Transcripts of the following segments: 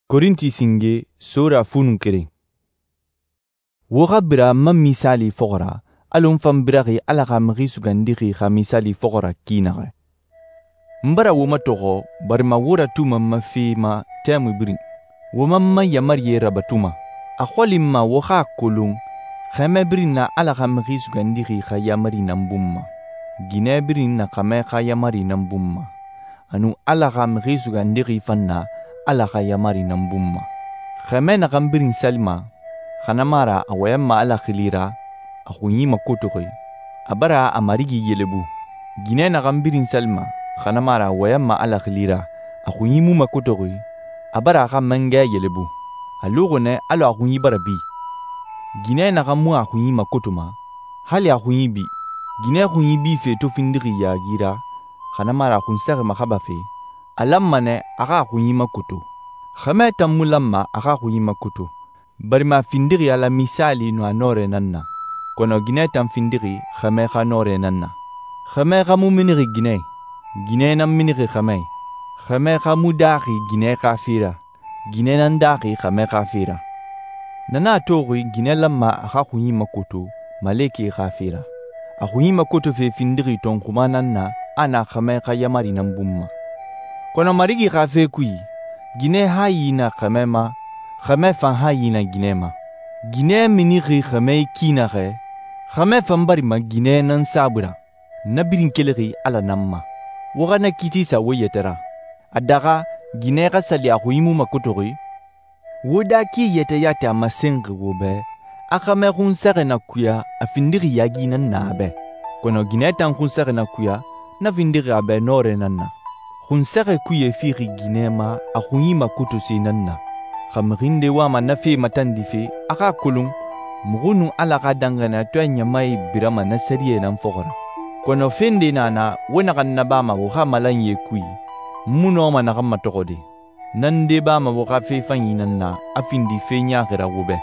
Korinti singe sora funu keren. Wo xa bira n ma misaali fɔxɔ ra, alɔ n fan biraxi Ala xa Mixi Sugandixi xa misaali fɔxɔ ra ki naxɛ. N bara wo matɔxɔ barima wo ratuma n ma fe ma tɛmui birin. Wo man n ma yamarie rabatuma. A xɔli n ma wo xa a kolon xɛmɛ birin na Ala xa Mixi Sugandixi xa yamari nan bun ma. Ginɛ birin na xɛmɛ xa yamari nan bun ma. A nun Ala xa Mixi Sugandixi fan na Ala xa yamari nan bun ma. Xɛmɛ naxan birin salima, xa na mu a ra a wɔyɛnma Ala xili ra a xunyi makotoxi, a bara a marigi yelebu. Ginɛ naxan birin salima, xa na mu a ra a wɔyɛnma Ala xili ra a xunyi mu makotoxi, a bara a xa mangɛ yelebu. A luxi nɛ alɔ a xunyi bara bi. Ginɛ naxan mu a xunyi makotoma, hali a xunyi bi. Ginɛ xunyi bife to findixi yaagi ra, xa na mu a ra a xunsɛxi maxabafe, a lanma nɛ a xa a xunyi makoto. Xɛmɛ tan mu lanma a xa a xunyi makoto, barima a findixi Ala misaali nun a nɔrɛ nan na, kɔnɔ ginɛ tan findixi xɛmɛ xa nɔrɛ nan na. Xɛmɛ xa mu minixi ginɛ, ginɛ nan minixi xɛmɛ. Xɛmɛ xa mu daaxi ginɛ xa fe ra, ginɛ nan daaxi xɛmɛ xa fe ra. Na nan a toxi ginɛ lanma a xa xunyi makoto malekɛe xa fe ra. A xunyi makotofe findixi tɔnxuma nan na a na xɛmɛ xa yamari nan bun ma. Kɔnɔ Marigi xa fe kui, ginɛ hayi na xɛmɛ ma, xɛmɛ fan hayi na ginɛ ma. Ginɛ minixi xɛmɛ ki naxɛ, xɛmɛ fan barima ginɛ nan saabui ra. Na birin kelixi Ala nan ma. Wo xa na kiiti sa wo yɛtɛ ra. A daxa ginɛ xa sali a xunyi mu makotoxi? Wo daki yɛtɛ yati a masenxi wo bɛ, a xɛmɛ xunsɛxɛ na kuya a findixi yaagi nan na a bɛ. Kɔnɔ ginɛ tan xunsɛxɛ na kuya, na findixi a bɛ nɔrɛ nan na. Xunsɛxɛ kuye fixi ginɛ ma a xunyi makotose nan na. Xa mixi nde wama na fe matandife, a xa kolon muxu nun Ala xa danxaniyatɔɛ ɲamae birama na sɛriyɛ nan fɔxɔ ra. Kɔnɔ fe nde na na wo naxan nabama wo xa malanyie kui, n mu nɔma naxan matɔxɔde. Nan nde bama wo xa fe fanyi nan na a findi fe ɲaaxi ra wo bɛ.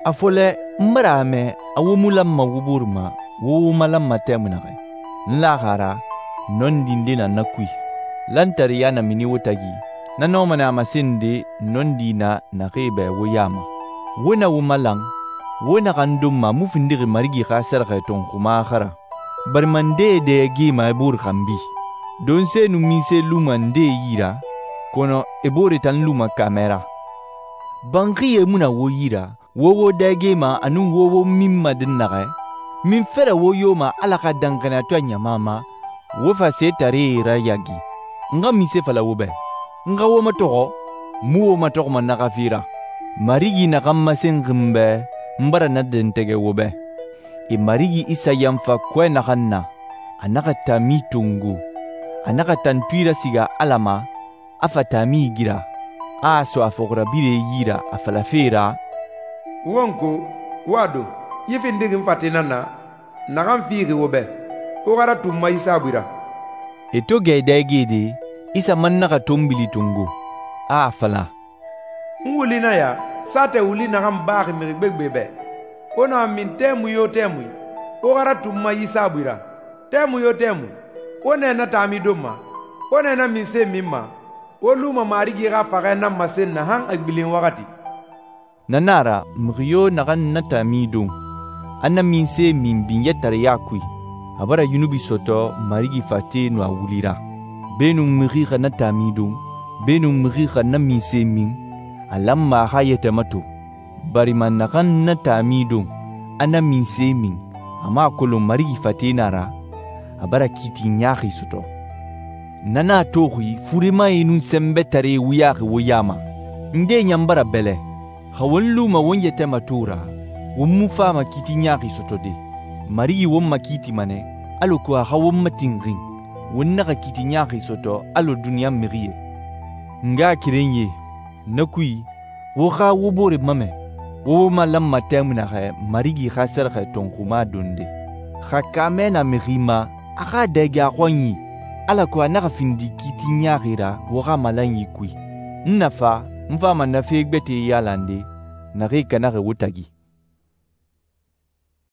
A fɔlɛ n bara a mɛ a wo mu lanma wo bore ma wo wo malanma tɛmui naxɛ. N laxi a ra nɔndi nde na na kui. Lantariya na mini wo tagi, na nɔma nɛ a masende nɔndi na naxee bɛ wo ya ma. Wo na wo malan, wo naxan donma mu findixi Marigi xa sɛrɛxɛ tɔnxuma xa ra. Barima ndee dɛ gema e bore xanbi. Donse nun minse luma ndee yi ra, kɔnɔ e bore tan luma kaamɛ ra. Banxiye mu na wo yi ra, wo wo dɛ gema a nun wo wo minma dɛnnaxɛ, min fɛrɛ wo yo ma Ala xa danxaniyatɔɛ ɲama ma, wo fa setaree rayagi. N xa minse fala wo bɛ, n xa wo matɔxɔ, mu wo matɔxɔma na xa fe ra. Marigi naxan masenxi n bɛ, n bara na dɛntɛgɛ wo bɛ. E Marigi Isa yanfa kɔɛ naxan na, a naxa taami tongo, a naxa tantui rasiga Ala ma, a fa taami gira, a sɔ a fɔxirabirɛ yi ra a falafe ra: «Wonko, wo a don, yi findixi n fate nan na, naxan fixi wo bɛ, wo xa ratun n ma yi saabui ra.» E to gɛ dɛgede, Isa man naxa tonbili tongo, a a fala: «N wuli na ya, saatɛ wuli naxan baxi mixi gbegbe bɛ. Wo na min tɛmui yo tɛmui, wo xa ratun n ma yi saabui ra. Tɛmui yo tɛmui, wo nɛ na taami donma, wo nɛ na minse min ma, wo luma Marigi xa faxɛ nan masen na han a gbilen waxati.» Na nan a ra mixi yo naxan na taami don, a na minse min binyɛtareya kui, a bara yunubi sɔtɔ Marigi fate nun a wuli ra. Beenun mixi xa na taami don, beenun mixi xa na minse min, a lanma a xa yɛtɛ mato. Barima naxan na taami don, a na minse min, a ma a kolon Marigi fate na ra, a bara kiiti ɲaaxi sɔtɔ. Na nan a toxi furemae nun sɛnbɛtaree wuyaxi wo ya ma. Nde ɲan bara bɛlɛ, xa won luma won yɛtɛ mato ra, won mu fama kiiti ɲaaxi sɔtɔ de. Marigi won makiitima nɛ, alako a xa won matinxin, won naxa kiiti ɲaaxi sɔtɔ alɔ duniɲa mixi ye. N nga keren ye, na kui, wo xa wo bore mamɛ, wo wo malanma tɛmui naxɛ Marigi xa sɛrɛxɛ tɔnxuma donde. Xa kaamɛ na mixi ma, a xa dɛge a xɔnyi, alako a naxa findi kiiti ɲaaxi ra wo xa malanyi kui. N na fa, n fama na fe gbɛtɛe yalande, naxee kanaxi wo tagi.